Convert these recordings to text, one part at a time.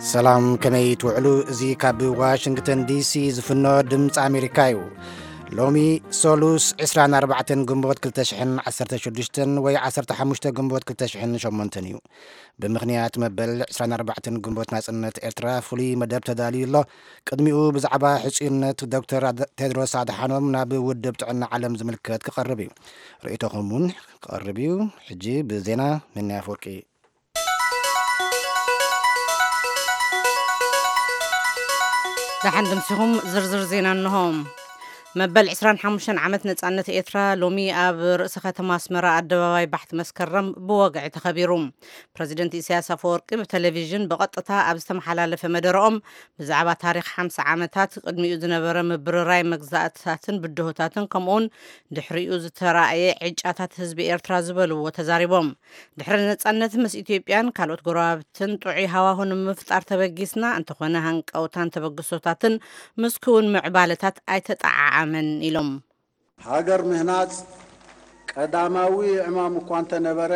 ሰላም፣ ከመይ ትውዕሉ? እዚ ካብ ዋሽንግተን ዲሲ ዝፍኖ ድምፂ ኣሜሪካ እዩ። ሎሚ ሰሉስ ዕስራን ኣርባዕተን ግንቦት ክልተ ሽሕን ዓሰርተ ሽዱሽተን ወይ ዓሰርተ ሓሙሽተ ግንቦት ክልተ ሽሕን ሸሞንተን እዩ። ብምኽንያት መበል ዕስራን ኣርባዕተን ግንቦት ናጽነት ኤርትራ ፍሉይ መደብ ተዳልዩ ኣሎ። ቅድሚኡ ብዛዕባ ሕጹይነት ዶክተር ኣድ-፣ ቴድሮስ ኣድሓኖም ናብ ውድብ ጥዕና ዓለም ዝምልከት ክቐርብ እዩ። ርእይቶኹም እውን ክቐርብ እዩ። ሕጂ ብዜና፣ ነኒ ኣፈወርቂ። ደሓን ድምሲኹም፣ ዝርዝር ዜና እንሆ። መበል ዕስራን ሓሙሽተን ዓመት ነጻነት ኤርትራ ሎሚ ኣብ ርእሰ ከተማ ኣስመራ ኣደባባይ ባሕቲ መስከረም ብወግዒ ተኸቢሩ። ፕረዚደንት ኢሳያስ ኣፈወርቂ ብቴሌቪዥን ብቐጥታ ኣብ ዝተመሓላለፈ መደረኦም ብዛዕባ ታሪኽ ሓምሳ ዓመታት፣ ቅድሚኡ ዝነበረ ምብርራይ መግዛእትታትን ብድሆታትን ከምኡውን ድሕሪኡ ዝተራእየ ዕጫታት ህዝቢ ኤርትራ ዝበልዎ ተዛሪቦም። ድሕሪ ነጻነት ምስ ኢትዮጵያን ካልኦት ጎረባብትን ጥዑይ ሃዋሁ ንምፍጣር ተበጊስና፣ እንተኾነ ሃንቀውታን ተበግሶታትን ምስ ክውን ምዕባለታት ኣይተጠዓዓመን ኢሎም። ሃገር ምህናጽ ቀዳማዊ ዕማም እኳ እንተነበረ፣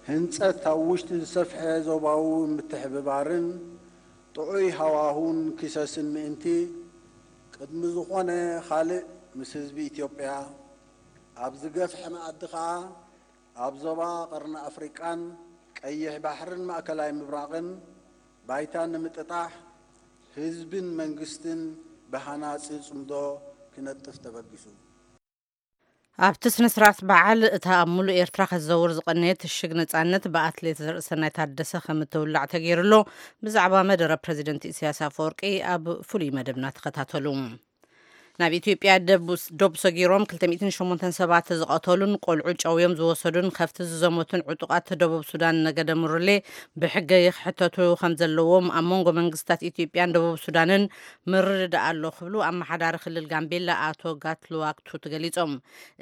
ህንጸት ኣብ ውሽጢ ዝሰፍሐ ዞባዊ ምትሕብባርን ጥዑይ ሃዋሁን ክሰስን ምእንቲ፣ ቅድሚ ዝኾነ ካልእ ምስ ህዝቢ ኢትዮጵያ ኣብ ዝገፍሐ መኣዲ ከኣ ኣብ ዞባ ቀርኒ ኣፍሪቃን ቀይሕ ባሕርን ማእከላይ ምብራቕን ባይታ ንምጥጣሕ ህዝብን መንግስትን ብሃናጺ ጽምዶ ክነጥፍ ተበጊሱ። ኣብቲ ስነ ስርዓት በዓል፣ እታ ኣብ ሙሉእ ኤርትራ ክትዘውር ዝቐነየት ሽግ ነጻነት ብኣትሌት ዘርእሰናይ ታደሰ ከም እትውላዕ ተገይሩ ኣሎ። ብዛዕባ መደረ ፕረዚደንት ኢሳያስ ኣፈወርቂ ኣብ ፍሉይ መደብና ተኸታተሉ። ናብ ኢትዮጵያ ደቡስ-፣ ዶብ ሰጊሮም ክልተ ሚእትን ሸሞንተን ሰባት ዝቐተሉን ቆልዑ ጨውዮም ዝወሰዱን ከፍቲ ዝዘመቱን ዕጡቓት ደቡብ ሱዳን ነገደ ሙርሌ ብሕገ ይኽሕተቱ ከም ዘለዎም ኣብ መንጎ መንግስታት ኢትዮጵያን ደቡብ ሱዳንን ምርድዳእ ኣሎ ክብሉ ኣመሓዳሪ ክልል ጋምቤላ ኣቶ ጋትሉዋክ ቱት ገሊጾም።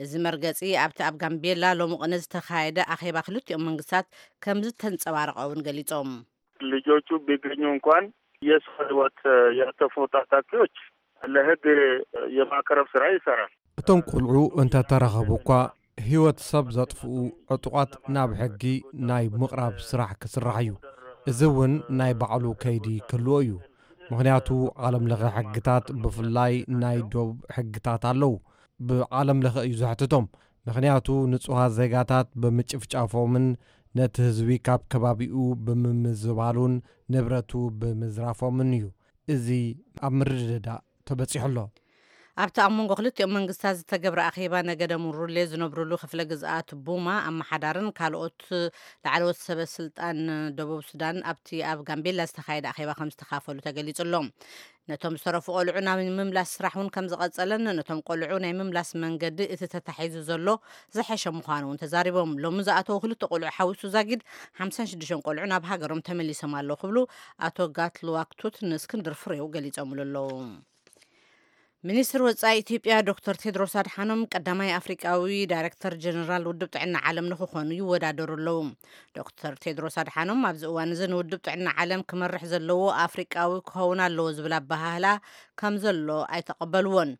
እዚ መርገጺ ኣብቲ ኣብ ጋምቤላ ሎሚ ቅነ ዝተኻየደ ኣኼባ ክልቲኦም መንግስታት ከም ዝተንጸባረቐ እውን ገሊጾም። ልጆቹ ቢገኙ እንኳን የሰው ህይወት ያጠፉ ታጣቂዎች ለህግ የማቅረብ ስራ ይሰራል። እቶም ቆልዑ እንተተረኸቡ እኳ ህይወት ሰብ ዘጥፍኡ ዕጡቓት ናብ ሕጊ ናይ ምቕራብ ስራሕ ክስራሕ እዩ። እዚ እውን ናይ ባዕሉ ከይዲ ክህልዎ እዩ። ምኽንያቱ ዓለም ለኸ ሕግታት፣ ብፍላይ ናይ ዶብ ሕግታት ኣለዉ። ብዓለም ለኸ እዩ ዘሕትቶም። ምኽንያቱ ንጹሃት ዜጋታት ብምጭፍጫፎምን ነቲ ህዝቢ ካብ ከባቢኡ ብምምዝባሉን ንብረቱ ብምዝራፎምን እዩ እዚ ኣብ ምርድዳእ ተበጺሑ ኣሎ። ኣብቲ ኣብ መንጎ ክልቲኦም መንግስታት ዝተገብረ ኣኼባ፣ ነገደ ሙሩሌ ዝነብሩሉ ክፍለ ግዝኣት ቡማ ኣመሓዳርን ካልኦት ላዕለዎት ሰበ ስልጣን ደቡብ ሱዳን ኣብቲ ኣብ ጋምቤላ ዝተኻየደ ኣኼባ ከም ዝተኻፈሉ ተገሊጹ ኣሎ። ነቶም ዝተረፉ ቆልዑ ናብ ምምላስ ስራሕ እውን ከም ዝቐጸለን ነቶም ቆልዑ ናይ ምምላስ መንገዲ እቲ ተታሒዙ ዘሎ ዝሐሸ ምዃኑ እውን ተዛሪቦም። ሎሚ ዝኣተዉ ክልተ ቆልዑ ሓዊሱ ዛጊድ ሓምሳን ሽዱሽተን ቆልዑ ናብ ሃገሮም ተመሊሶም ኣለዉ ክብሉ ኣቶ ጋትሉዋክ ቱት ንእስክንድር ፍሬው ገሊጾምሉ ኣለዉ። ሚኒስትር ወጻኢ ኢትዮጵያ ዶክተር ቴድሮስ ኣድሓኖም ቀዳማይ ኣፍሪቃዊ ዳይሬክተር ጀነራል ውድብ ጥዕና ዓለም ንክኾኑ ይወዳደሩ ኣለዉ። ዶክተር ቴድሮስ ኣድሓኖም ኣብዚ እዋን እዚ ንውድብ ጥዕና ዓለም ክመርሕ ዘለዎ ኣፍሪቃዊ ክኸውን ኣለዎ ዝብል ኣበሃህላ ከም ዘሎ ኣይተቐበልዎን።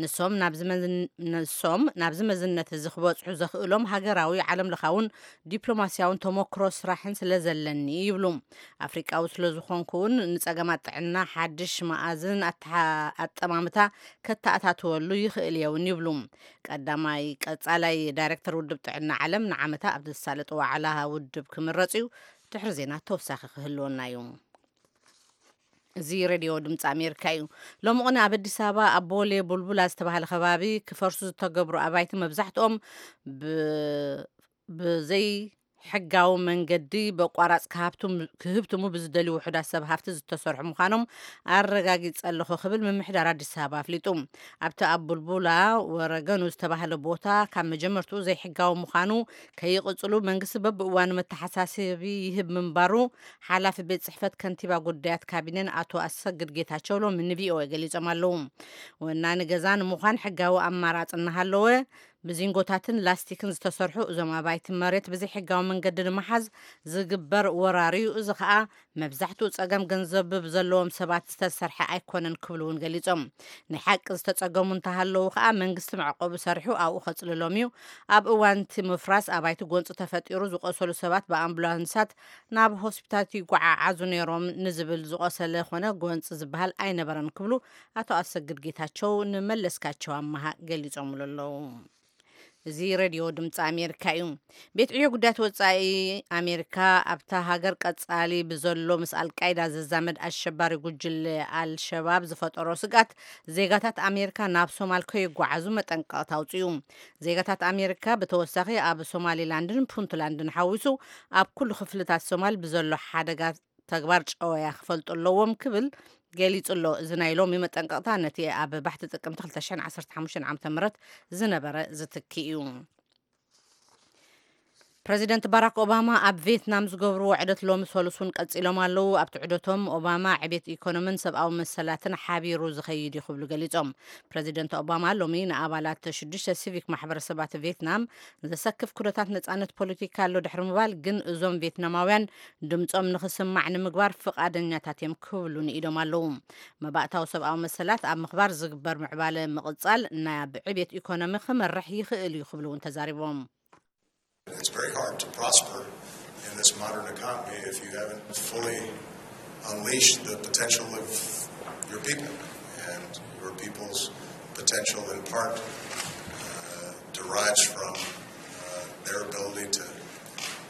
ንሶም ናብዚ መዝን-፣ ንሶም ናብዚ መዝነት እዚ ክበጽሑ ዘኽእሎም ሃገራዊ ዓለም ለኻውን ዲፕሎማስያውን ተሞክሮ ስራሕን ስለ ዘለኒ ይብሉ። ኣፍሪቃዊ ስለ ዝኾንኩ እውን ንጸገማት ጥዕና ሓድሽ መኣዝን ኣተሓ-፣ ኣጠማምታ ከተኣታትወሉ ይኽእል እየ እውን ይብሉ። ቀዳማይ ቀጻላይ ዳይሬክተር ውድብ ጥዕና ዓለም ንዓመታ ኣብ ዝሳለጥ ዋዕላ ውድብ ክምረጽ እዩ። ድሕሪ ዜና ተወሳኺ ክህልወና እዩ። እዚ ሬድዮ ድምፂ ኣሜሪካ እዩ። ሎሚ ቅነ ኣብ ኣዲስ ኣበባ ኣብ ቦሌ ቡልቡላ ዝተባህለ ከባቢ ክፈርሱ ዝተገብሩ ኣባይቲ መብዛሕትኦም ብ-፣ ብዘይ ሕጋዊ መንገዲ በቋራጽ ክሃብቱም-፣ ክህብትሙ ብዝደልዩ ውሑዳት ሰብ ሃፍቲ ዝተሰርሑ ምዃኖም ኣረጋጊጸ ኣለኹ ክብል ምምሕዳር ኣዲስ ኣበባ ኣፍሊጡ። ኣብቲ ኣብ ቡልቡላ ወረገኑ ዝተባህለ ቦታ ካብ መጀመርትኡ ዘይሕጋዊ ምዃኑ ከይቕጽሉ መንግስቲ በብእዋኑ መተሓሳሰቢ ይህብ ምንባሩ ሓላፊ ቤት ጽሕፈት ከንቲባ ጉዳያት ካቢኔን ኣቶ ኣሰግድ ጌታቸው ሎሚ ንቪኦኤ ገሊጾም ኣለዉ። ወናኒ ገዛ ንምዃን ሕጋዊ ኣማራጺ እናሃለወ ብዚንጎታትን ላስቲክን ዝተሰርሑ እዞም ኣባይቲ መሬት ብዘይሕጋዊ መንገዲ ንምሓዝ ዝግበር ወራር እዩ። እዚ ኸኣ መብዛሕትኡ ጸገም ገንዘብ ብዘለዎም ሰባት ዝተሰርሐ ኣይኮነን ክብሉ እውን ገሊጾም። ናይ ሓቂ ዝተጸገሙ እንተሃለዉ ኸኣ መንግስቲ መዕቆቢ ሰሪሑ ኣብኡ ከጽልሎም እዩ። ኣብ እዋን እቲ ምፍራስ ኣባይቲ ጎንጺ ተፈጢሩ ዝቆሰሉ ሰባት ብኣምቡላንሳት ናብ ሆስፒታላት ይጓዓዓዙ ነይሮም ንዝብል ዝቆሰለ ኾነ ጎንጺ ዝበሃል ኣይነበረን ክብሉ ኣቶ ኣሰግድ ጌታቸው ንመለስካቸው ኣመሃ ገሊጾምሉ ኣለዉ። እዚ ሬድዮ ድምፂ ኣሜሪካ እዩ። ቤት ዕዮ ጉዳያት ወፃኢ ኣሜሪካ ኣብታ ሃገር ቀፃሊ ብዘሎ ምስ ኣልቃይዳ ዝዛመድ ኣሸባሪ ጉጅለ ኣልሸባብ ዝፈጠሮ ስግኣት ዜጋታት ኣሜሪካ ናብ ሶማል ከይጓዓዙ መጠንቀቕታ ኣውፅኡ። ዜጋታት ኣሜሪካ ብተወሳኺ ኣብ ሶማሊላንድን ፑንትላንድን ሓዊሱ ኣብ ኩሉ ክፍልታት ሶማል ብዘሎ ሓደጋ ተግባር ጨወያ ክፈልጡ ኣለዎም ክብል ገሊጹ ኣሎ። እዚ ናይ ሎሚ መጠንቀቕታ ነቲ ኣብ ባሕቲ ጥቅምቲ ክልተ ሽሕን ዓሰርተ ሓሙሽተን ዓመተ ምህረት ዝነበረ ዝትኪ እዩ። ፕረዚደንት ባራክ ኦባማ ኣብ ቬትናም ዝገብርዎ ዕደት ሎሚ ሰሉስ እውን ቀጺሎም ኣለዉ። ኣብቲ ዕደቶም ኦባማ ዕቤት ኢኮኖምን ሰብኣዊ መሰላትን ሓቢሩ ዝኸይድ እዩ ክብሉ ገሊጾም። ፕረዚደንት ኦባማ ሎሚ ንኣባላት ሽዱሽተ ሲቪክ ማሕበረሰባት ቬትናም ዘሰክፍ ኩነታት ነጻነት ፖለቲካ ኣሎ ድሕሪ ምባል፣ ግን እዞም ቬትናማውያን ድምጾም ንኽስማዕ ንምግባር ፍቓደኛታት እዮም ክብሉ ንኢዶም ኣለዉ። መባእታዊ ሰብኣዊ መሰላት ኣብ ምኽባር ዝግበር ምዕባለ ምቕጻል ናብ ዕቤት ኢኮኖሚ ክመርሕ ይኽእል እዩ ክብሉ እውን ተዛሪቦም። It's very hard to prosper in this modern economy if you haven't fully unleashed the potential of your people. And your people's potential, in part, uh, derives from uh, their ability to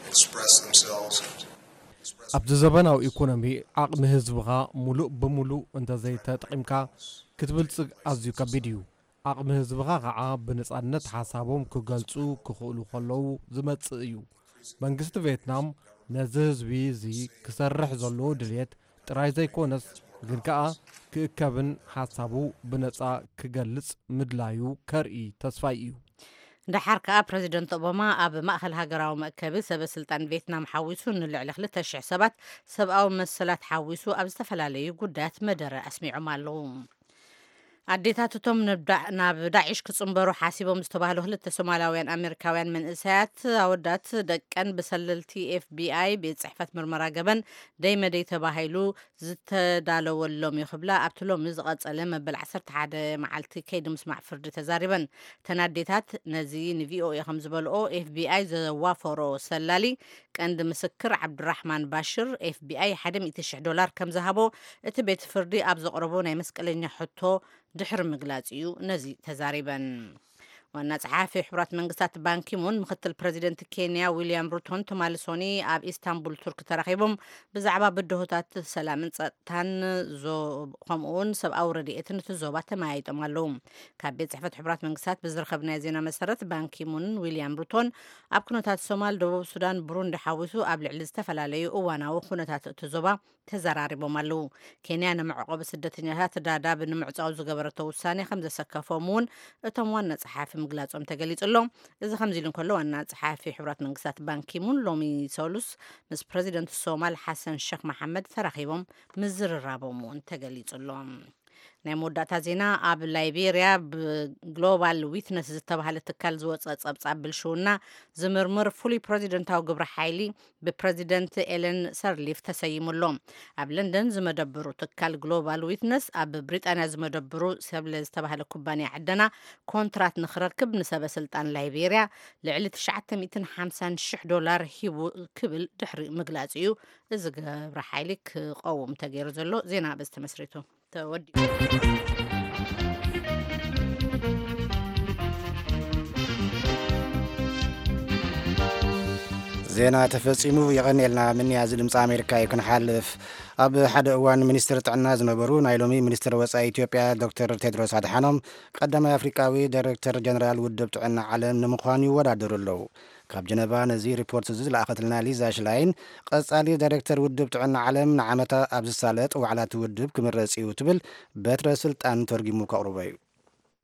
express themselves. ኣብዚ ዘበናዊ ኢኮኖሚ ዓቕሚ ህዝብኻ ሙሉእ ብሙሉእ እንተዘይተጠቒምካ ክትብልጽግ ኣዝዩ ከቢድ እዩ። ዓቕሚ ህዝብኻ ኸዓ ብነጻነት ሓሳቦም ክገልጹ ክኽእሉ ከለዉ ዝመጽእ እዩ። መንግስቲ ቬትናም ነዚ ህዝቢ እዚ ክሰርሕ ዘለዎ ድልየት ጥራይ ዘይኮነስ ግን ከኣ ክእከብን ሓሳቡ ብነጻ ክገልጽ ምድላዩ ከርኢ ተስፋይ እዩ። ደሓር ከኣ ፕረዚደንት ኦባማ ኣብ ማእኸል ሃገራዊ መእከቢ ሰበ ስልጣን ቬትናም ሓዊሱ ንልዕሊ ክልተ ሽሕ ሰባት ሰብኣዊ መሰላት ሓዊሱ ኣብ ዝተፈላለዩ ጉዳያት መደረ ኣስሚዖም ኣለዉ። ኣዴታት እቶም ናብ ዳዒሽ ክጽንበሩ ሓሲቦም ዝተባህሉ ክልተ ሶማላውያን ኣሜሪካውያን መንእሰያት ኣወዳት ደቀን ብሰለልቲ ኤፍቢኣይ ቤት ጽሕፈት ምርመራ ገበን ደይመደይ ተባሂሉ ዝተዳለወሎም እዩ ክብላ ኣብቲ ሎሚ ዝቐጸለ መበል ዓሰርተ ሓደ መዓልቲ ከይዲ ምስማዕ ፍርዲ ተዛሪበን። እተን ኣዴታት ነዚ ንቪኦኤ ከም ዝበልኦ ኤፍቢኣይ ዘዋፈሮ ሰላሊ ቀንዲ ምስክር ዓብዱራሕማን ባሽር ኤፍቢኣይ ሓደ ሚእቲ ሽሕ ዶላር ከም ዝሃቦ እቲ ቤት ፍርዲ ኣብ ዘቕረቦ ናይ መስቀለኛ ሕቶ ድሕሪ ምግላጽ እዩ ነዚ ተዛሪበን። ዋና ጸሓፊ ሕቡራት መንግስታት ባንኪሙን ምክትል ፕረዚደንት ኬንያ ዊልያም ሩቶን ትማሊ ሶኒ ኣብ ኢስታንቡል ቱርክ ተራኺቦም ብዛዕባ ብድሆታት ሰላምን ጸጥታን ከምኡ እውን ሰብኣዊ ረድኤትን እቲ ዞባ ተመያይጦም ኣለዉ። ካብ ቤት ጽሕፈት ሕቡራት መንግስታት ብዝረኸብናዮ ዜና መሰረት ባንኪሙን ዊልያም ሩቶን ኣብ ኩነታት ሶማል፣ ደቡብ ሱዳን፣ ብሩንዲ ሓዊሱ ኣብ ልዕሊ ዝተፈላለዩ እዋናዊ ኩነታት እቲ ዞባ ተዘራሪቦም ኣለዉ። ኬንያ ንመዕቆቢ ስደተኛታት ዳዳብ ንምዕጻው ዝገበረቶ ውሳኔ ከም ዘሰከፎም እውን እቶም ዋና ጸሓፊ ምግላጾም ተገሊጹ ኣሎ። እዚ ከምዚ ኢሉ እንከሎ ዋና ጸሓፊ ሕቡራት መንግስታት ባንኪሙን ሎሚ ሰሉስ ምስ ፕረዚደንት ሶማል ሓሰን ሸክ መሓመድ ተራኺቦም ምዝርራቦም እውን ተገሊጹ ኣሎ። ናይ መወዳእታ ዜና ኣብ ላይቤርያ ብግሎባል ዊትነስ ዝተባህለ ትካል ዝወፀ ፀብፃብ ብልሽውና ዝምርምር ፍሉይ ፕረዚደንታዊ ግብረ ሓይሊ ብፕረዚደንት ኤለን ሰርሊፍ ተሰይሙ ኣሎ። ኣብ ለንደን ዝመደብሩ ትካል ግሎባል ዊትነስ ኣብ ብሪጣንያ ዝመደብሩ ሰብለ ዝተባህለ ኩባንያ ዕደና ኮንትራት ንክረክብ ንሰበ ስልጣን ላይቤርያ ልዕሊ ትሽዓተ ሚእትን ሓምሳን ሽሕ ዶላር ሂቡ ክብል ድሕሪ ምግላፅ እዩ እዚ ግብረ ሓይሊ ክቐውም ተገይሩ ዘሎ። ዜና በዚ ተመስሪቱ ተወዲኡ። ዜና ተፈጺሙ። የቐንየልና ምንያ። እዚ ድምፂ ኣሜሪካ እዩ። ክንሓልፍ፣ ኣብ ሓደ እዋን ሚኒስትር ጥዕና ዝነበሩ ናይ ሎሚ ሚኒስትር ወፃኢ ኢትዮጵያ ዶክተር ቴድሮስ ኣድሓኖም ቀዳማይ ኣፍሪቃዊ ዳይሬክተር ጀነራል ውድብ ጥዕና ዓለም ንምዃን ይወዳደሩ ኣለዉ። ካብ ጀነቫ ነዚ ሪፖርት እዚ ዝለኣኸትልና ሊዛ ሽላይን፣ ቀጻሊ ዳይሬክተር ውድብ ጥዕና ዓለም ንዓመታ ኣብ ዝሳለጥ ዋዕላ እቲ ውድብ ክምረጽ እዩ ትብል በትረ ስልጣን ተርጊሙ ከቕርቦ እዩ።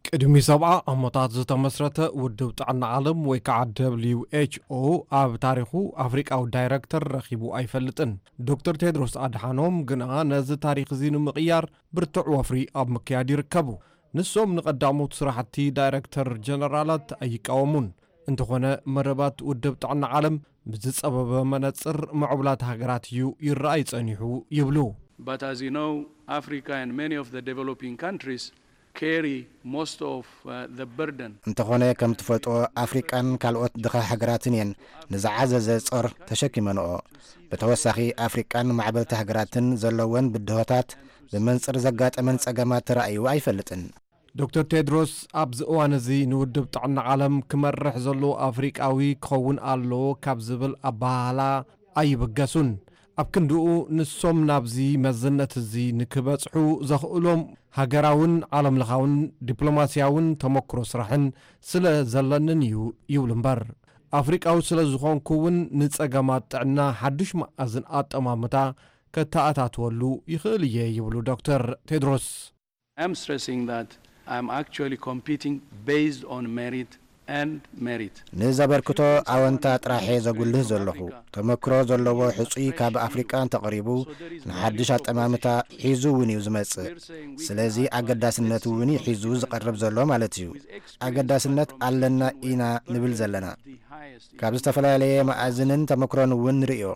ቅድሚ ሰብዓ ዓመታት ዝተመስረተ ውድብ ጥዕና ዓለም ወይ ከዓ ደብሊው ኤች ኦ ኣብ ታሪኹ ኣፍሪቃዊ ዳይረክተር ረኺቡ ኣይፈልጥን። ዶክተር ቴድሮስ ኣድሓኖም ግና ነዚ ታሪኽ እዚ ንምቕያር ብርቱዕ ወፍሪ ኣብ ምክያድ ይርከቡ። ንሶም ንቐዳሞት ስራሕቲ ዳይረክተር ጀነራላት ኣይቃወሙን። እንተኾነ፣ መደባት ውድብ ጥዕና ዓለም ብዝጸበበ መነጽር ምዕቡላት ሃገራት እዩ ይረኣይ ጸኒሑ ይብሉ። But as you know, Africa and many of the developing countries carry most of uh, the burden. እንተኾነ፣ ከም ትፈልጥዎ፣ ኣፍሪቃን ካልኦት ድኻ ሃገራትን እየን ንዝዓዘዘ ጾር ተሸኪመንኦ። ብተወሳኺ፣ ኣፍሪቃን ማዕበልቲ ሃገራትን ዘለወን ብድሆታት ብመንጽር ዘጋጠመን ጸገማት ተራእዩ ኣይፈልጥን። ዶክተር ቴድሮስ ኣብዚ እዋን እዚ ንውድብ ጥዕና ዓለም ክመርሕ ዘሎ ኣፍሪቃዊ ክኸውን ኣለዎ ካብ ዝብል ኣበሃህላ ኣይብገሱን። ኣብ ክንድኡ፣ ንሶም ናብዚ መዝነት እዚ ንክበጽሑ ዘኽእሎም ሃገራውን ዓለምለኻውን ዲፕሎማስያውን ተመክሮ ስራሕን ስለ ዘለንን እዩ ይብሉ እምበር፣ ኣፍሪቃዊ ስለ ዝኾንኩ እውን ንጸገማት ጥዕና ሓድሽ መኣዝን ኣጠማምታ ከተኣታትወሉ ይኽእል እየ ይብሉ ዶክተር ቴድሮስ። I'm stressing that I'm actually competing based on merit and merit. ንዘበርክቶ ኣወንታ ጥራሐ ዘጉልህ ዘለኹ፣ ተመክሮ ዘለዎ ሕጹይ ካብ ኣፍሪቃ እንተቐሪቡ፣ ንሓድሽ ኣጠማምታ ሒዙ እውን እዩ ዝመጽእ። ስለዚ፣ ኣገዳስነት እውን እዩ ሒዙ ዝቐርብ ዘሎ ማለት እዩ። ኣገዳስነት ኣለና ኢና ንብል ዘለና። ካብ ዝተፈላለየ መኣዝንን ተመክሮን እውን ንርእዮ።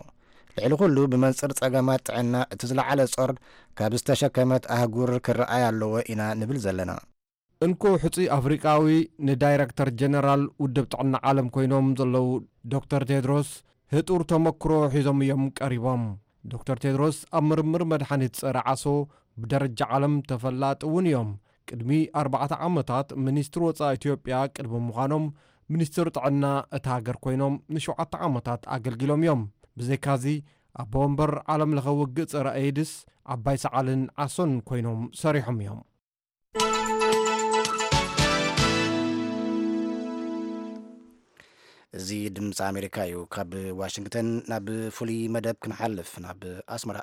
ልዕሊ ኩሉ፣ ብመንጽር ጸገማት ጥዕና እቲ ዝለዓለ ጾር ካብ ዝተሸከመት ኣህጉር ክረኣይ ኣለዎ ኢና ንብል ዘለና። እንኮ ሕጹይ ኣፍሪቃዊ ንዳይረክተር ጀነራል ውድብ ጥዕና ዓለም ኮይኖም ዘለዉ ዶክተር ቴድሮስ፣ ህጡር ተመክሮ ሒዞም እዮም ቀሪቦም። ዶክተር ቴድሮስ ኣብ ምርምር መድሓኒት ጸረ ዓሶ ብደረጃ ዓለም ተፈላጢ እውን እዮም። ቅድሚ ኣርባዕተ ዓመታት ሚኒስትር ወጻኢ ኢትዮጵያ ቅድሚ ምዃኖም፣ ሚኒስትር ጥዕና እታ ሃገር ኮይኖም ንሸውዓተ ዓመታት ኣገልጊሎም እዮም። ብዘይካዚ፣ ኣቦ ወንበር ዓለም ለኸ ውግእ ጸረ ኤድስ፣ ዓባይ ሰዓልን ዓሶን ኮይኖም ሰሪሖም እዮም። እዚ ድምፂ ኣሜሪካ እዩ። ካብ ዋሽንግተን ናብ ፍሉይ መደብ ክንሓልፍ፣ ናብ ኣስመራ።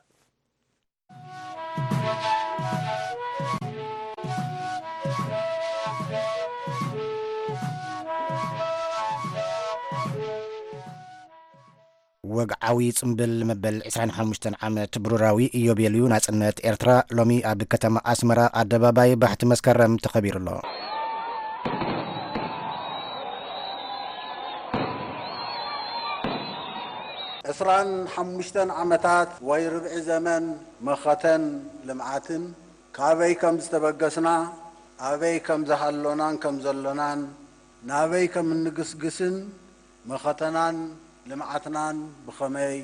ወግዓዊ ጽምብል መበል ዕስራን ሓሙሽተን ዓመት ብሩራዊ ኢዮቤልዩ ናጽነት ኤርትራ ሎሚ ኣብ ከተማ ኣስመራ ኣደባባይ ባሕቲ መስከረም ተኸቢሩ ኣሎ። ዕስራን ሓሙሽተን ዓመታት ወይ ርብዒ ዘመን መኸተን ልምዓትን፣ ካበይ ከም ዝተበገስና፣ ኣበይ ከም ዝሃሎናን ከም ዘሎናን፣ ናበይ ከም እንግስግስን፣ መኸተናን ልምዓትናን ብኸመይ፣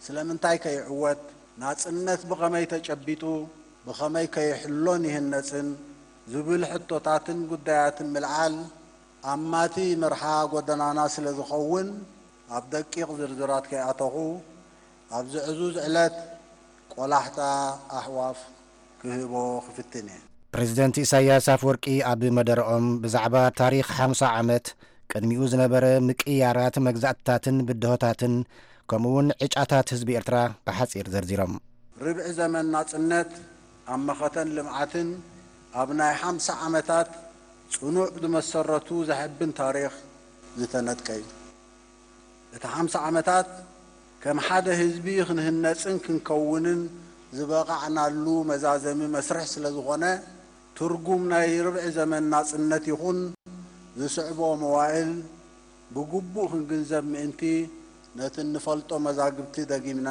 ስለምንታይ ከይዕወት፣ ናጽነት ብኸመይ ተጨቢጡ፣ ብኸመይ ከይሕሎን ይህነጽን ዝብል ሕቶታትን ጉዳያትን ምልዓል ኣማቲ መርሓ ጎደናና ስለ ዝኸውን፣ ኣብ ደቂቕ ዝርዝራት ከይኣተኹ፣ ኣብዚ ዕዙዝ ዕለት ቆላሕታ ኣሕዋፍ ክህቦ ክፍትን እየ። ፕሬዚደንት ኢሳያስ ኣፈወርቂ ኣብ መደረኦም ብዛዕባ ታሪኽ ሓምሳ ዓመት፣ ቅድሚኡ ዝነበረ ምቅይያራት መግዛእትታትን ብድሆታትን፣ ከምኡውን ዕጫታት ህዝቢ ኤርትራ ብሓጺር ዘርዚሮም። ርብዒ ዘመን ናጽነት ኣብ መኸተን ልምዓትን ኣብ ናይ ሓምሳ ዓመታት ጽኑዕ ዝመሰረቱ ዘሐብን ታሪኽ ዝተነጥቀ እዩ። እቲ ሓምሳ ዓመታት ከም ሓደ ህዝቢ ክንህነጽን ክንከውንን ዝበቓዕናሉ መዛዘሚ መስርሕ ስለ ዝኾነ፣ ትርጉም ናይ ርብዒ ዘመን ናጽነት ይኹን ዝስዕቦ መዋእል ብግቡእ ክንግንዘብ ምእንቲ፣ ነቲ እንፈልጦ መዛግብቲ ደጊምና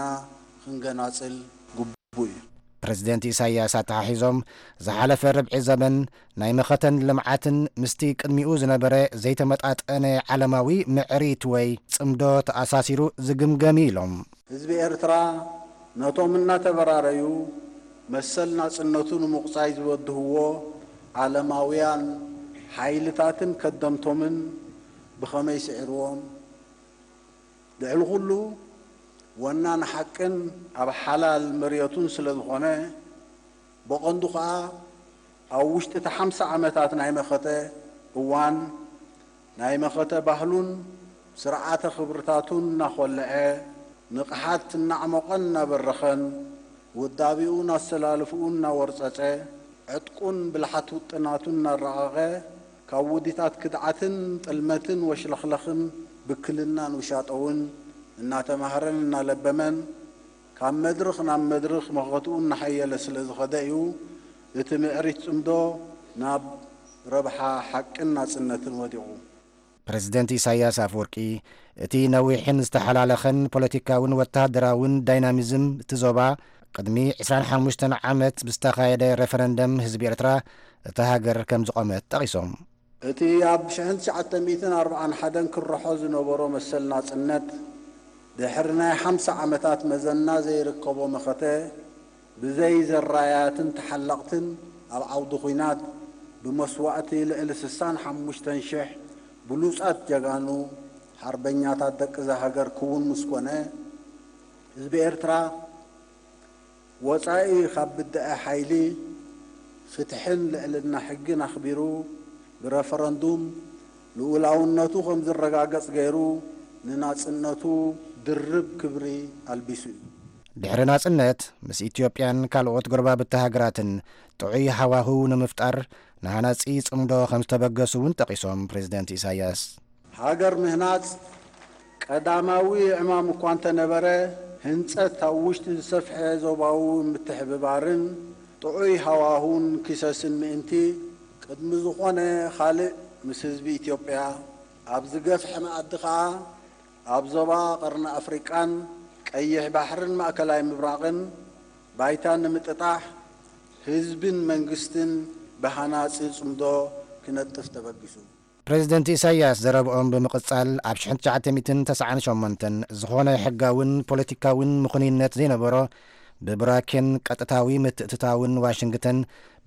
ክንገናጽል ግቡእ እዩ። ፕረዚደንት ኢሳይያስ ኣተሓሒዞም፣ ዝሓለፈ ርብዒ ዘመን ናይ መኸተን ልምዓትን ምስቲ ቅድሚኡ ዝነበረ ዘይተመጣጠነ ዓለማዊ ምዕሪት ወይ ጽምዶ ተኣሳሲሩ ዝግምገም እዩ ኢሎም። ህዝቢ ኤርትራ ነቶም እናተበራረዩ መሰል ናጽነቱ ንምቑጻይ ዝበድህዎ ዓለማውያን ሓይልታትን ከደምቶምን ብኸመይ ስዒርዎም? ልዕሊ ኩሉ፣ ወናኒ ሓቅን ኣብ ሓላል መርየቱን ስለ ዝኾነ፣ ብቐንዱ ኸኣ ኣብ ውሽጢ እቲ ሓምሳ ዓመታት ናይ መኸተ እዋን፣ ናይ መኸተ ባህሉን ስርዓተ ክብርታቱን እናኾልዐ፣ ንቕሓት እናዕሞቐን እናበረኸን፣ ውዳቤኡን ኣሰላልፍኡን እናወርጸጸ፣ ዕጥቁን ብልሓት ውጥናቱን እናረቐቐ፣ ካብ ውዲታት ክድዓትን ጥልመትን ወሽለኽለኽን ብክልናን ውሻጠውን እናተማህረን እናለበመን፣ ካብ መድርኽ ናብ መድርኽ መኸትኡ እናሓየለ ስለ ዝኸደ እዩ፣ እቲ ምዕሪት ጽምዶ ናብ ረብሓ ሓቅን ናጽነትን ወዲቑ። ፕረዚደንት ኢሳያስ ኣፈወርቂ፣ እቲ ነዊሕን ዝተሓላለኸን ፖለቲካውን ወተሃደራውን ዳይናሚዝም እቲ ዞባ፣ ቅድሚ ዕስራን ሓሙሽተን ዓመት ብዝተኻየደ ሬፈረንደም ህዝቢ ኤርትራ እታ ሃገር ከም ዝቖመት ጠቒሶም። እቲ ኣብ ሽሕን ትሽዓተ ሚእትን ኣርባዓን ሓደን ክርሖ ዝነበሮ መሰል ናጽነት፣ ድሕሪ ናይ ሓምሳ ዓመታት መዘና ዘይርከቦ መኸተ፣ ብዘይ ዘራያትን ተሓለቕትን ኣብ ዓውዲ ኹናት ብመስዋእቲ ልዕሊ ስሳን ሓሙሽተን ሽሕ ብሉጻት ጀጋኑ ሓርበኛታት ደቂ እዛ ሃገር ክውን ምስ ኮነ፣ ህዝቢ ኤርትራ ወጻኢ ካብ ብድዐ ሓይሊ፣ ፍትሕን ልዕልና ሕግን ኣኽቢሩ፣ ብረፈረንዱም ልኡላውነቱ ከም ዝረጋገጽ ገይሩ፣ ንናጽነቱ ድርብ ክብሪ ኣልቢሱ እዩ። ድሕሪ ናጽነት፣ ምስ ኢትዮጵያን ካልኦት ጎረባብቲ ሃገራትን ጥዑይ ሃዋህው ንምፍጣር ንሃናጺ ጽምዶ ከም ዝተበገሱ እውን ጠቒሶም ፕሬዚደንት ኢሳያስ። ሃገር ምህናጽ ቀዳማዊ ዕማም እኳ እንተነበረ፣ ህንጸት ኣብ ውሽጢ ዝሰፍሐ ዞባዊ ምትሕብባርን ጥዑይ ሃዋሁን ክሰስን ምእንቲ፣ ቅድሚ ዝኾነ ካልእ ምስ ህዝቢ ኢትዮጵያ ኣብ ዝገፍሐ መኣዲ ከኣ ኣብ ዞባ ቀርኒ ኣፍሪቃን ቀይሕ ባሕርን ማእከላይ ምብራቕን ባይታ ንምጥጣሕ ህዝብን መንግስትን ብሃናጺ ጽምዶ ክነጥፍ ተበጊሱ። ፕሬዚደንት ኢሳያስ ዘረብኦም ብምቕጻል፣ ኣብ ሽሕን ትሽዓተ ሚእትን ተስዓን ሸሞንተን ዝኾነ ሕጋውን ፖለቲካውን ምኽኑይነት ዘይነበሮ ብቡራኬን ቀጥታዊ ምትእትታውን ዋሽንግተን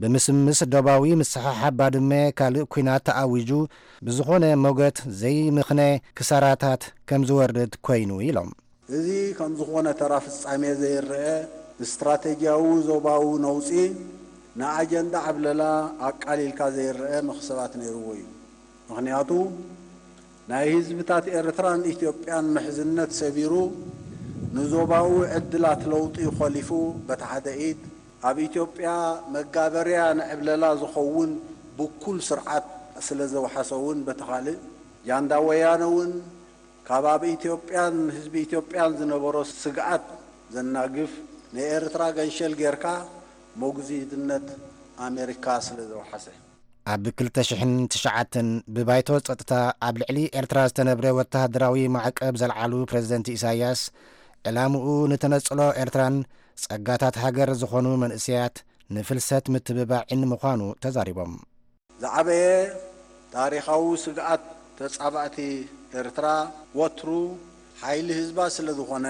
ብምስምስ ዶባዊ ምስሕሓብ ባድመ ካልእ ኲናት ተኣዊጁ ብዝኾነ ሞገት ዘይምኽነ ክሳራታት ከም ዝወርድ ኮይኑ ኢሎም። እዚ ከም ዝኾነ ተራ ፍጻሜ ዘይረኣ ስትራተጂያዊ ዞባዊ ነውጺ ንኣጀንዳ ዓብለላ ኣቃሊልካ ዘይረኣ መኽሰባት ነይርዎ እዩ። ምኽንያቱ ናይ ህዝብታት ኤርትራን ኢትዮጵያን ምሕዝነት ሰቢሩ ንዞባዊ ዕድላት ለውጢ ኮሊፉ በቲ ሓደ ኢድ ኣብ ኢትዮጵያ መጋበርያ ንዕብለላ ዝኸውን ብኩል ስርዓት ስለ ዘውሓሰ እውን በቲ ካልእ ጃንዳ ወያነ እውን ካብ ኣብ ኢትዮጵያን ህዝቢ ኢትዮጵያን ዝነበሮ ስግኣት ዘናግፍ ንኤርትራ ገንሸል ጌርካ ሞግዚትነት ኣሜሪካ ስለ ዘውሓሰ። ኣብ ክልተ ሽሕን ትሽዓተን ብባይቶ ጸጥታ ኣብ ልዕሊ ኤርትራ ዝተነብረ ወተሃደራዊ ማዕቀብ ዘልዓሉ ፕረዚደንት ኢሳያስ፣ ዕላምኡ ንተነጽሎ ኤርትራን ጸጋታት ሃገር ዝኾኑ መንእሰያት ንፍልሰት ምትብባዕን ምዃኑ ተዛሪቦም። ዝዓበየ ታሪኻዊ ስግኣት ተጻባእቲ ኤርትራ ወትሩ ሓይሊ ህዝባ ስለ ዝኾነ፣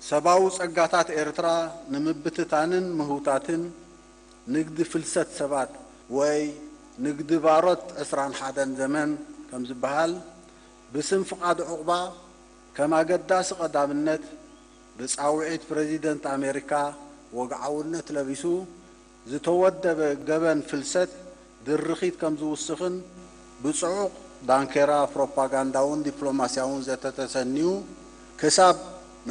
ሰባዊ ጸጋታት ኤርትራ ንምብትታንን ምህውታትን ንግዲ ፍልሰት ሰባት ወይ ንግዲ ባሮት ዕስራን ሓደን ዘመን ከም ዝበሃል፣ ብስም ፍቓድ ዑቕባ ከም ኣገዳሲ ቀዳምነት ብጻውዒት ፕረዚደንት ኣሜሪካ ወግዓውነት ለቢሱ ዝተወደበ ገበን ፍልሰት ድርኺት ከም ዝውስኽን ብጽዑቕ ዳንኬራ ፕሮፓጋንዳውን ዲፕሎማስያውን ዘተ ተሰንዩ ክሳብ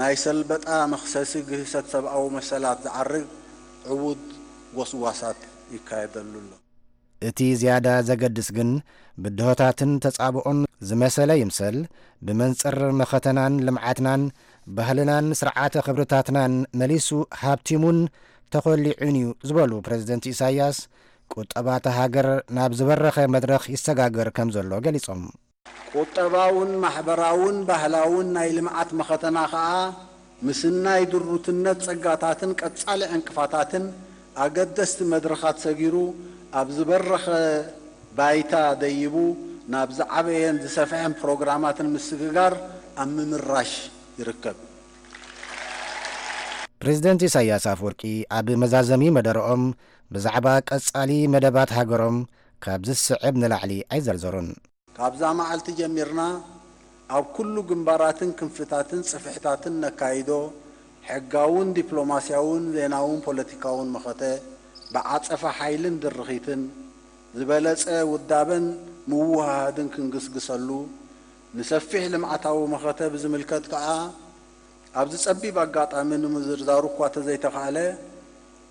ናይ ሰልበጣ መኽሰሲ ግህሰት ሰብኣዊ መሰላት ዝዓርግ ዕዉት ጎስጓሳት ይካየደሉ ኣሎ። እቲ ዝያዳ ዘገድስ ግን ብድሆታትን ተጻብኦን ዝመሰለ ይምሰል ብመንጽር መኸተናን ልምዓትናን ባህልናን ስርዓተ ክብርታትናን መሊሱ ሃብቲሙን ተኾሊዑን እዩ ዝበሉ ፕረዚደንት ኢሳያስ፣ ቁጠባ እታ ሃገር ናብ ዝበረኸ መድረኽ ይሰጋገር ከም ዘሎ ገሊጾም። ቁጠባውን ማሕበራውን ባህላውን ናይ ልምዓት መኸተና ከኣ ምስናይ ድሩትነት ጸጋታትን ቀጻሊ ዕንቅፋታትን ኣገደስቲ መድረኻት ሰጊሩ ኣብ ዝበረኸ ባይታ ደይቡ ናብ ዝዓበየን ዝሰፍሐን ፕሮግራማትን ምስግጋር ኣብ ምምራሽ ይርከብ። ፕሬዚደንት ኢሳያስ ኣፈወርቂ ኣብ መዛዘሚ መደረኦም ብዛዕባ ቀጻሊ መደባት ሃገሮም ካብ ዝስዕብ ንላዕሊ ኣይዘርዘሩን። ካብዛ መዓልቲ ጀሚርና ኣብ ኩሉ ግንባራትን ክንፍታትን ጽፍሕታትን ነካይዶ ሕጋውን ዲፕሎማስያውን ዜናውን ፖለቲካውን መኸተ ብዓጸፋ ሓይልን ድርኺትን ዝበለጸ ውዳበን ምውህሃድን ክንግስግሰሉ፣ ንሰፊሕ ልምዓታዊ መኸተ ብዝምልከት ከኣ ኣብዚ ጸቢብ ኣጋጣሚ ንምዝርዛሩ እኳ ተዘይተኻእለ፣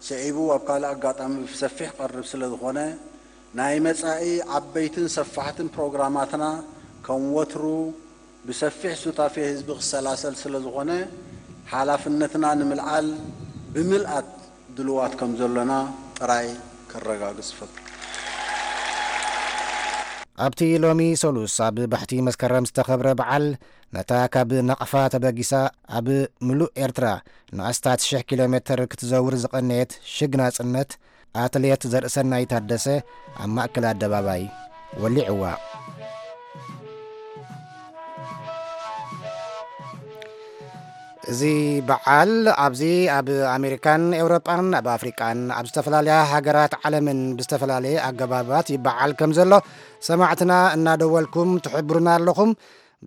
ስዒቡ ኣብ ካልእ ኣጋጣሚ ብሰፊሕ ክቐርብ ስለ ዝኾነ፣ ናይ መጻኢ ዓበይትን ሰፋሕትን ፕሮግራማትና ከም ወትሩ ብሰፊሕ ሱታፌ ህዝቢ ክሰላሰል ስለ ዝኾነ፣ ሓላፍነትና ንምልዓል ብምልኣት ድሉዋት ከም ዘሎና ጥራይ ከረጋግጽ እፈቱ። ኣብቲ ሎሚ ሰሉስ ኣብ ባሕቲ መስከረም ዝተኸብረ በዓል፣ ነታ ካብ ናቕፋ ተበጊሳ ኣብ ምሉእ ኤርትራ ንኣስታት ሽሕ ኪሎ ሜትር ክትዘውር ዝቐነየት ሽግ ናጽነት ኣትሌት ዘርእሰናይ ታደሰ ኣብ ማእከል ኣደባባይ ወሊዕዋ። እዚ በዓል ኣብዚ ኣብ ኣሜሪካን ኤውሮጳን ኣብ ኣፍሪቃን ኣብ ዝተፈላለያ ሃገራት ዓለምን ብዝተፈላለየ ኣገባባት ይበዓል ከም ዘሎ ሰማዕትና እናደወልኩም ትሕብሩና ኣለኹም።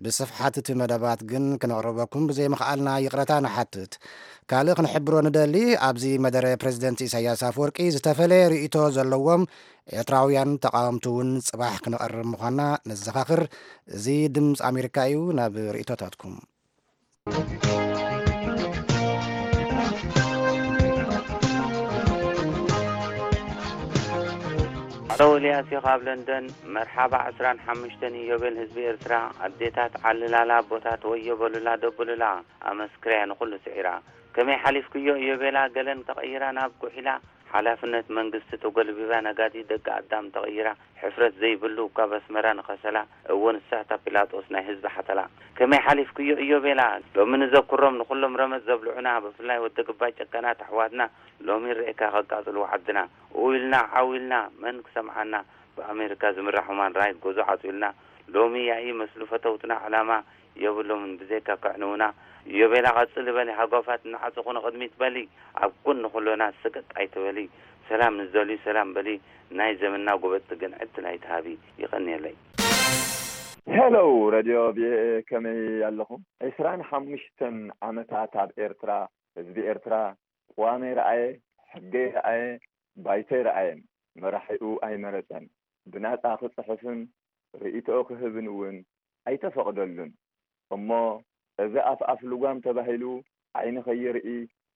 ብስፍሓት እቲ መደባት ግን ክነቕርበኩም ብዘይምኽኣልና ይቕረታ ንሓትት። ካልእ ክንሕብሮ ንደሊ፣ ኣብዚ መደረ ፕሬዚደንት ኢሳያስ ኣፈወርቂ ዝተፈለየ ርእይቶ ዘለዎም ኤርትራውያን ተቓወምቲ እውን ጽባሕ ክነቐርብ ምዃንና ነዘኻኽር። እዚ ድምፂ ኣሜሪካ እዩ። ናብ ርእይቶታትኩም። ኣረው ኤልያስ እዩ ካብ ለንደን። መርሓባ ዕስራን ሓሙሽተን ኢዮቤል ህዝቢ ኤርትራ። ኣዴታት ዓልላላ፣ ኣቦታት ወዮ በሉላ፣ ደብሉላ፣ ኣመስክረያ ንኹሉ ስዒራ። ከመይ ሓሊፍክዮ ኢዮቤላ፣ ገለን ተቐይራ ናብ ጉሒላ። ሓላፍነት መንግስቲ ተጎልቢባ፣ ነጋዲ ደቂ ኣዳም ተቐይራ። ሕፍረት ዘይብሉ ካብ ኣስመራ ንኸሰላ፣ እወ ንሳ እታ ጲላጦስ ናይ ህዝቢ ሓተላ። ከመይ ሓሊፍክዮ ኢዮቤላ፣ ሎሚ ንዘክሮም ንኹሎም ረመጽ ዘብልዑና፣ ብፍላይ ወዲ ግባይ ጨካናት ኣሕዋትና፣ ሎሚ ርኤካ ከቃጽልዎ ዓድና። ኡ ኢልና ዓው ኢልና መን ክሰምዓና፣ ብኣሜሪካ ዝምራሕ ሁማን ራይት ጎዞ ዓጽዩልና። ሎሚ ያኢ መስሉ ፈተውትና ዕላማ የብሎምን ብዘይካ ከዕንውና። ኢዮቤላ ቀጽሊ በሊ፣ ሃጓፋት ንዓጽኹ ንቕድሚት በሊ፣ ኣብ ጎኒ ኩሎና ስቅጥ ኣይትበሊ። ሰላም ንዝደልዩ ሰላም በሊ፣ ናይ ዘመንና ጎበጥቲ ግን ዕድል ኣይትሃቢ። ይቐንየለይ። ሄሎ ረድዮ ቪኦኤ፣ ከመይ ኣለኹም? ዕስራን ሓሙሽተን ዓመታት ኣብ ኤርትራ፣ ህዝቢ ኤርትራ ቅዋመይ ረኣየ፣ ሕገይ ረኣየ፣ ባይቶይ ረኣየን፣ መራሒኡ ኣይመረጸን። ብናጻ ክጽሕፍን ርእይቶኡ ክህብን እውን ኣይተፈቕደሉን። እሞ እዚ ኣፍ ኣፍ ልጓም ተባሂሉ ዓይኒ ከይርኢ፣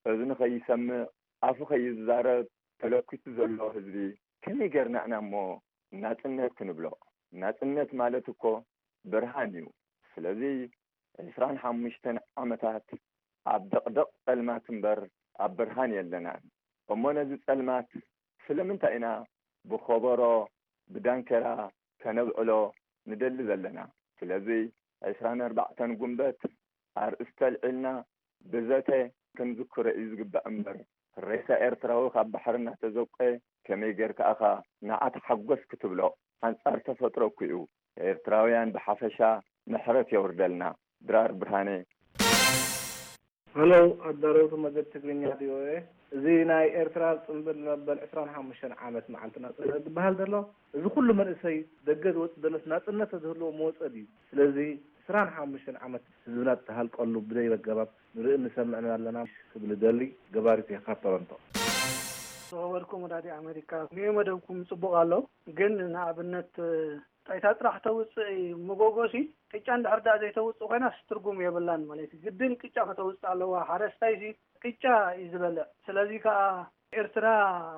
እዝኒ ከይሰምዕ፣ ኣፉ ከይዛረብ ተለኲሱ ዘሎ ህዝቢ ከመይ ጌርና ኢና እሞ ናጽነት ክንብሎ? ናጽነት ማለት እኮ ብርሃን እዩ። ስለዚ ዕስራን ሓሙሽተን ዓመታት ኣብ ደቕደቕ ጸልማት እምበር ኣብ ብርሃን የለናን። እሞ ነዚ ጸልማት ስለምንታይ ኢና ብኾቦሮ፣ ብዳንኬራ ከነብዕሎ ንደሊ ዘለና? ስለዚ ዕስራን ኣርባዕተን ጉንበት ኣርእስቲ ኣልዒልና ብዘተ ክንዝክሮ እዩ ዝግባእ እምበር፣ ሬሳ ኤርትራዊ ካብ ባሕሪ እናተዘቆ ከመይ ጌርካ ኢኻ ንዓ ተሓጎስ ክትብሎ? ኣንጻር ተፈጥሮ እኮ እዩ። ኤርትራውያን ብሓፈሻ ምሕረት የውርደልና። ድራር ብርሃነ። ሃሎ ኣዳለውቲ መደብ ትግርኛ ቪኦኤ፣ እዚ ናይ ኤርትራ ጽንብል መበል ዕስራን ሓሙሽተን ዓመት መዓልቲ ናጽነት ዝበሃል ዘሎ፣ እዚ ኩሉ መንእሰይ ደገ ዝወጽእ ዘሎስ ናጽነት ተዝህልዎ ምወጸ ድዩ? ስለዚ ዕስራን ሓሙሽተን ዓመት ህዝብና ዝተሃልቀሉ ብደይ ኣገባብ ንርኢ ንሰምዕን ኣለና ክብል እደሊ። ገባሪት እየ ካብ ቶሮንቶ። ዝኸበርኩም ወዳዲ ኣሜሪካ፣ ንዩ መደብኩም ጽቡቕ ኣሎ፣ ግን ንኣብነት ጣይታ ጥራሕ ተውፅእ መጎጎሲ ቅጫ እንድሕር ደኣ ዘይተውፅእ ኮይናስ ትርጉም የብላን ማለት እዩ። ግድን ቅጫ ከተውፅእ ኣለዋ። ሓረስታይሲ ቅጫ እዩ ዝበልዕ። ስለዚ ከዓ ኤርትራ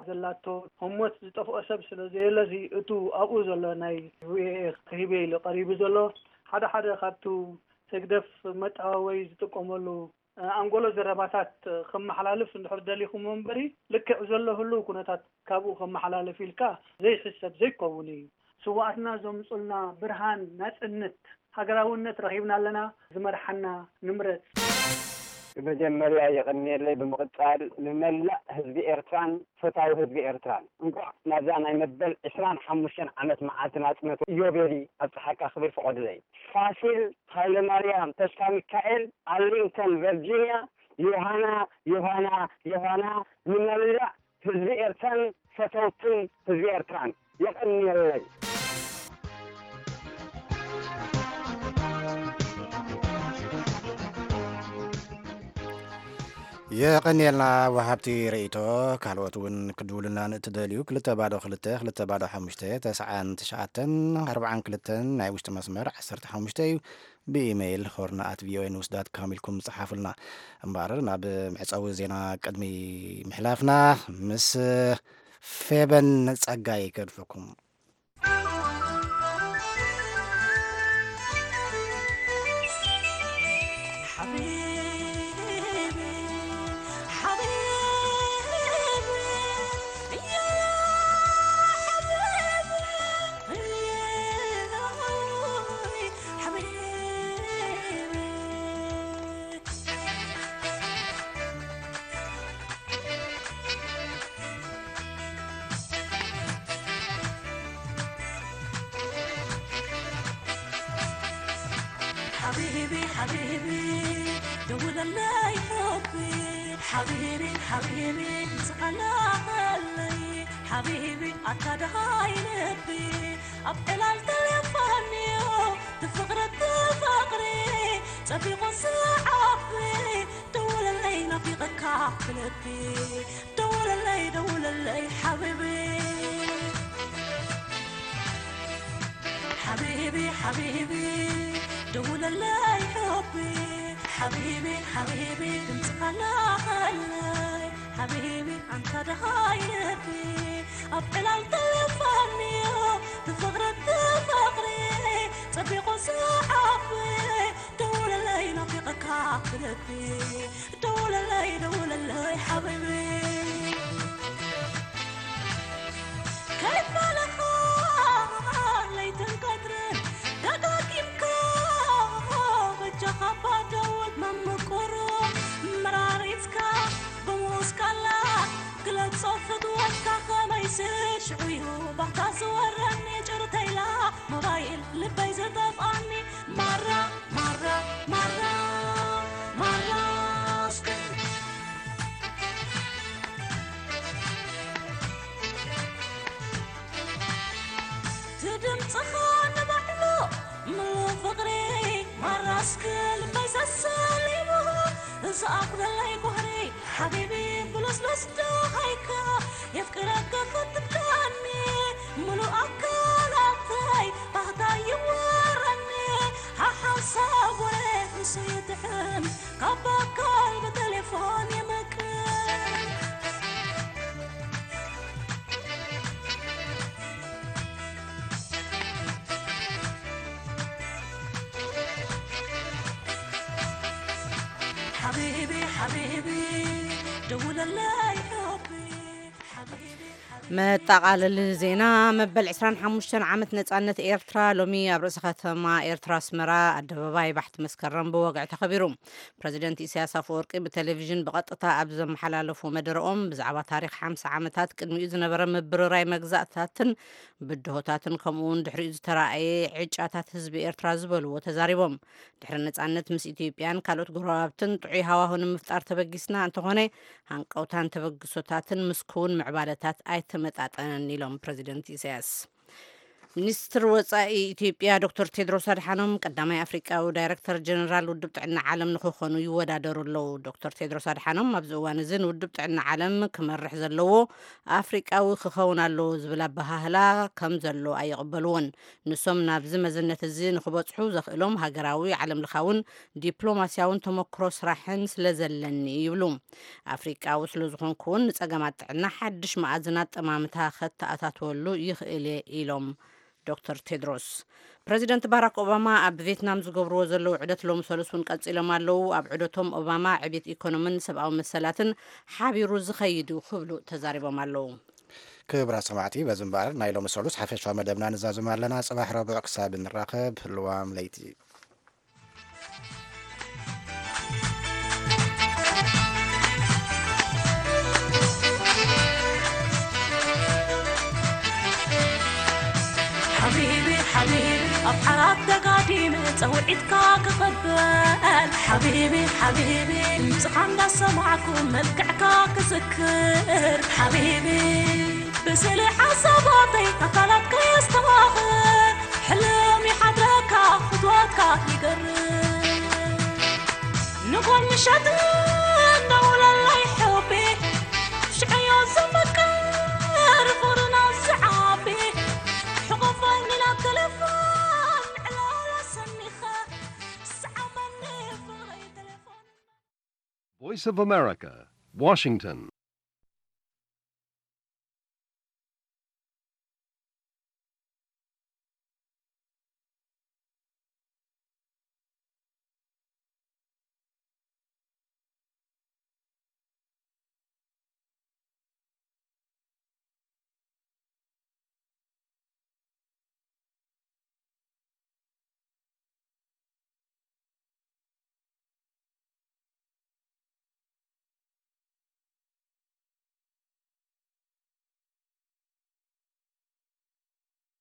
ዘላቶ ህሞት ዝጠፍኦ ሰብ ስለ ዘየለሲ እቱ ኣብኡ ዘሎ ናይ ቪኦኤ ክህበ ኢሉ ቀሪቡ ዘሎ ሓደ ሓደ ካብቱ ህግደፍ መጠዋወይ ዝጥቀመሉ ኣንጎሎ ዘረባታት ከመሓላልፍ እንድሕር ደሊኹም እምበሪ፣ ልክዕ ዘሎ ህልው ኩነታት ካብኡ ከመሓላልፍ ኢልካ ዘይሕሰብ ዘይከውን እዩ። ስውኣትና ዘምጹልና ብርሃን ናጽነት፣ ሃገራውነት ረኺብና ኣለና፣ ዝመርሓና ንምረጽ። ብመጀመርያ የቐንየለይ፣ ብምቕጻል ንመላእ ህዝቢ ኤርትራን ፈታዊ ህዝቢ ኤርትራን እንኳዕ ናብዛ ናይ መበል ዕስራን ሓሙሽተን ዓመት መዓልቲ ናጽነቱ ኢዮቤሊ ኣብጽሓካ ክብል ፍቐዱለይ። ፋሲል ሃይለማርያም ተስፋሚካኤል፣ ኣርሊንግተን ቨርጂንያ። ዮሃና ዮሃና ዮሃና ንመላእ ህዝቢ ኤርትራን ፈተውትን ህዝቢ ኤርትራን። የቐንየለይ። የቐንየልና ወሃብቲ ርእይቶ። ካልኦት እውን ክድውሉልና ንእትደልዩ ክልተ ባዶ ክልተ ክልተ ባዶ ሓሙሽተ ተስዓን ትሽዓተን ኣርባዓን ክልተን ናይ ውሽጢ መስመር ዓሰርተ ሓሙሽተ እዩ። ብኢሜይል ሆርን ኣት ቪኦኤ ኒውስ ዳት ካም ኢልኩም ጸሓፉልና። እምበኣር ናብ መዕጸዊ ዜና ቅድሚ ምሕላፍና ምስ ፌበን ጸጋይ ከድፈኩም። ሓቢቢ ሓቢቢ ደውለለይ ሑቢ ሓቢቢ ሓቢቢ ንስኻና ኸለይ ሓቢቢ ኣታ ደሃይ ልቢ ኣብ ዕላል ተሌፎንዮ ትፍቕሪ ትፍቕሪ ጸቢቑ ዝዓቢ ደውለለይ ናፊቐካ ብልቢ ደውለለይ ደውለለይ ሓቢቢ ሓቢቢ ሓቢቢ ደውለለይ ሑቢ ሓቢቢ ሓቢቢ ድምፅኻ ናኸለይ ሓቢቢ ኣንታ ደሃይ ልቢ ኣብ ዕላል ተሌፎንዮ ትፍቕሪ ትፍቕሪ ጸቢቑ ዝዓቢ ደውለለይ ናፊቐካ ብልቢ ደውለለይ ደውለለይ ሓቢቢ ከይፋለኻ ለይትን ቀትርን ደጋጊምካ በጃኻ ባደውል መምቁሩ መራሪትካ ብምውስካላ ግለጾ ፍትወትካ ከመይሲ ሽዑዩ ባታ ዝወረኒ ጭርተይላ ሞባይል ልበይ ዝጠፍኣኒ ማራ ማራ ማራ ማራ እስከ ትድምፅኻ ንባዕሉ ምሉእ ፍቕሪ ማራስክ ልበይ ሰሰሊሙ ዝኣኽለለይ ጓህሪ ሓቢቢ ብሉስሉስ ደሃይካ የፍቅረካ ክትብለኒ ምሉእ ኣካላተይ ባህታ ይወረኒ ሓሓንሳብ ወረ ንሱ ይጥዕም ካብ ኣካል ብቴሌፎን የመቅር ሓቢቢ ሓቢቢ ደውለለይ ሑቢ ሓቢቢ መጠቓለሊ ዜና። መበል ዕስራን ሓሙሽተን ዓመት ነጻነት ኤርትራ ሎሚ ኣብ ርእሰ ከተማ ኤርትራ ኣስመራ ኣደባባይ ባሕቲ መስከረም ብወግዒ ተኸቢሩ። ፕረዚደንት ኢሳያስ ኣፈወርቂ ብቴሌቪዥን ብቐጥታ ኣብ ዘመሓላለፉ መደረኦም ብዛዕባ ታሪኽ ሓምሳ ዓመታት ቅድሚኡ ዝነበረ ምብርራይ መግዛእትታትን ብድሆታትን ከምኡ እውን ድሕሪኡ ዝተራእየ ዕጫታት ህዝቢ ኤርትራ ዝበልዎ ተዛሪቦም። ድሕሪ ነጻነት ምስ ኢትዮጵያን ካልኦት ጎረባብትን ጥዑይ ሃዋሁ ንምፍጣር ተበጊስና እንተኾነ ሃንቀውታን ተበግሶታትን ምስ ክውን ምዕባለታት ኣይተመጣጠነን ኢሎም ፕረዚደንት ኢሳያስ። ሚኒስትር ወጻኢ ኢትዮጵያ ዶክተር ቴድሮስ ኣድሓኖም ቀዳማይ ኣፍሪቃዊ ዳይረክተር ጀነራል ውድብ ጥዕና ዓለም ንክኾኑ ይወዳደሩ ኣለዉ። ዶክተር ቴድሮስ ኣድሓኖም ኣብዚ እዋን እዚ ንውድብ ጥዕና ዓለም ክመርሕ ዘለዎ ኣፍሪቃዊ ክኸውን ኣለዎ ዝብል ኣበሃህላ ከም ዘሎ ኣይቕበልዎን። ንሶም ናብዚ መዝነት እዚ ንክበጽሑ ዘኽእሎም ሃገራዊ ዓለምለኻውን ዲፕሎማስያውን ተመክሮ ስራሕን ስለ ዘለኒ ይብሉ። ኣፍሪቃዊ ስለ ዝኾንኩ እውን ንጸገማት ጥዕና ሓድሽ መኣዝናት ጠማምታ ከተኣታትወሉ ይኽእል እየ ኢሎም ዶክተር ቴድሮስ። ፕረዚደንት ባራክ ኦባማ ኣብ ቬትናም ዝገብርዎ ዘለዉ ዑደት ሎሚ ሰሉስ እውን ቀጺሎም ኣለዉ። ኣብ ዑደቶም ኦባማ ዕቤት ኢኮኖምን ሰብኣዊ መሰላትን ሓቢሩ ዝኸይድ እዩ ክብሉ ተዛሪቦም ኣለዉ። ክብራ ሰማዕቲ በዚ እምበኣር ናይ ሎሚ ሰሉስ ሓፈሻዊ መደብና ንዛዝም ኣለና። ጽባሕ ረቡዕ ክሳብ ንራኸብ ልዋም ለይቲ። ሓቢቢ ሓቢቢ ኣብ ዓራት ተጋዲመ ጸውዒትካ ክቕበል ሓቢቢ ሓቢቢ ድምፅኻ እንዳሰማዕኩ መልክዕካ ክዝክር ሓቢቢ ብስእሊ ሓሳባተይ ኣካላትካ የስተማኽር ሕልም ይሓድረካ ፍትወትካ ይገርም ንጎን ምሸት እንደውለለይ ሕቢ ሽዕዮ ዘመቅር ፍቕርና ዝዓቢ ሕቆፈኒ ናብ ቴሌፎን ዕላላ ሰኒኸ ስዓመኒ ፍቕረይ ቴሌፎን Voice of America, Washington.